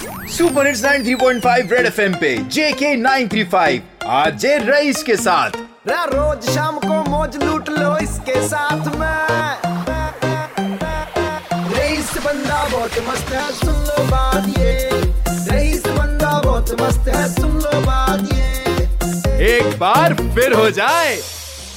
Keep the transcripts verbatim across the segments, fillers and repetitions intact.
Super hits ninety three point five red FM पे JK nine three five, RJ Raees के साथ। रा-, रोज शाम को मौज लूट लो इसके साथ में। रईस बंदा बहुत मस्त है, सुन लो बात ये। रईस बंदा बहुत मस्त है, सुन लो बात ये। एक बार फिर हो जाए।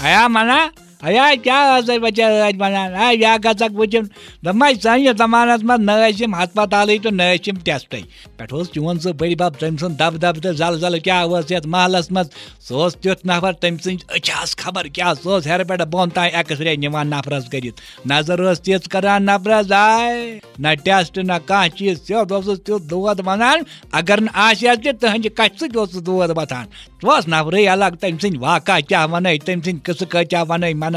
आया मना आیا کیٛاہ ٲسٕے بچا ٲدۍ ونان؟ آ یا گژھکھ وٕچھُن۔ دوٚپمَے سٲنِس زمانس منٛز نہ ٲسۍ یِم ہسپتالٕے تہٕ نہ ٲسۍ یِم ٹیسٹٕے۔ پٮ۪ٹھٕ اوس چون سُہ بٔڈۍ بب، تٔمۍ سُنٛد دبہٕ دبہٕ تہٕ زلزلہٕ کیٛاہ اوس یتھ محلس منٛز؟ سُہ اوس تیُتھ نفر، تٔمۍ سٕنٛز أچھ آسہٕ خبر کیٛاہ، سُہ اوس ہیرٕ پٮ۪ٹھٕ بۄن تام ایکس رے نِوان نفرس کٔرِتھ۔ نظر ٲس تِژھ کران نفرس، آے نہ ٹیسٹ نہ کانٛہہ چیٖز، سیوٚد اوسُس تیُتھ دود ونان۔ اگر نہٕ آسہِ ہا تہِ تٕہنٛدِ کتھِ سۭتۍ اوس سُہ دود وۄتھان۔ سُہ اوس نفرٕے الگ، تٔمۍ سٕنٛدۍ واقعہ کیٛاہ وَنَے، تٔمۍ سٕنٛدۍ قٕصہٕ کۭتیٛاہ وَنَے مَنا۔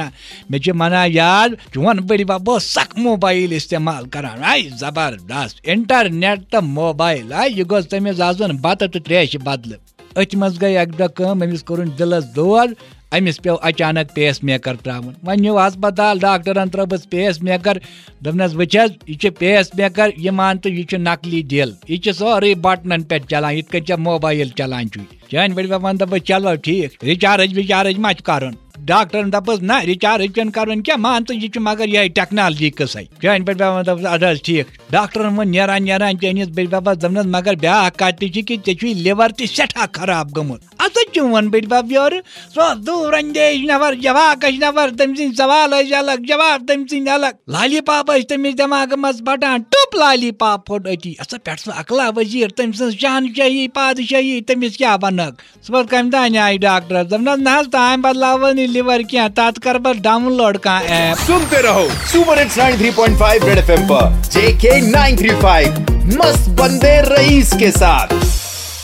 مےٚ چھِ مَنا یاد، چون بٔڈِ بَب اوس سخ موبایل استعمال کران۔ آے زبردست، انٹرنیٹ تہٕ موبایل۔ آے یہِ گوٚژھ تٔمِس آسُن بَتہٕ تہٕ ترٛیشہِ بدلہٕ۔ أتھۍ منٛز گٔے اَکہِ دۄہ کٲم، أمِس کوٚرُن دِلَس دود، أمِس پیوٚو اچانک پیس میکر ترٛاوُن۔ وۄنۍ نیوٗ ہسپتال، ڈاکٹرن ترٛٲوٕس پیس میکر۔ دوٚپنَس، وٕچھ حظ، یہِ چھُ پیس میکر، یہِ مان تہٕ یہِ چھُ نقلی دِل۔ یہِ چھُ سورُے بٹنن پٮ۪ٹھ چلان، یِتھ کٔنۍ ژےٚ موبایل چلان چھُے۔ چٲنۍ بٔڈۍ بب وَنہٕ دَپہٕ، چلو ٹھیٖک، ریچارج ویچارج ما چھُ کرُن؟ ڈاکٹرن دَپُس، نہ، ریچارج چھُنہٕ کرُن کینٛہہ، مان تہٕ یہِ چھُ مگر یِہوٚے ٹیکنالجی قٕصَے۔ چٲنۍ بٔڈۍ بب وَنہٕ دَپُس، اَدٕ حظ ٹھیٖک۔ ڈاکٹرن ووٚن نیران نیران چٲنِس بٔڈۍ ببس، دوٚپنَس، مگر بیٛاکھ کَتھ تہِ چھِ کہِ ژےٚ چھُے لِور تہِ سٮ۪ٹھاہ خراب گوٚمُت۔ اَتھ چھُ چون بٔڈۍ بب یورٕ، سُہ اوس دوٗر اندیش نفر، جواکش نفر، تٔمۍ سٕنٛدۍ سوال ٲسۍ الگ، جواب تٔمۍ سٕنٛدۍ الگ۔ لالی پاپ ٲسۍ تٔمِس دٮ۪ماغہٕ منٛز پھٹان، ٹوٚپ لالی پاپ پھوٚٹ أتی۔ اَسا پٮ۪ٹھ سُہ عقلا وزیٖر، تٔمۍ سٕنٛز شہنشاہی، پادشاہی، تٔمِس کیٛاہ وَنَکھ؟ صُبحس کَمہِ دۄہ نیٛاے ڈاکٹرس؟ دوٚپنَس، نہ حظ، تام بدلاوو نہٕ لِور کینٛہہ، تَتھ کَرٕ بہٕ ڈاوُن لوڈ کانٛہہ ایپ۔ सुनते रहो super hits nine three point five red FM पर जेके नाइन थ्री फ़ाइव, मस्त बंदे रईस के साथ।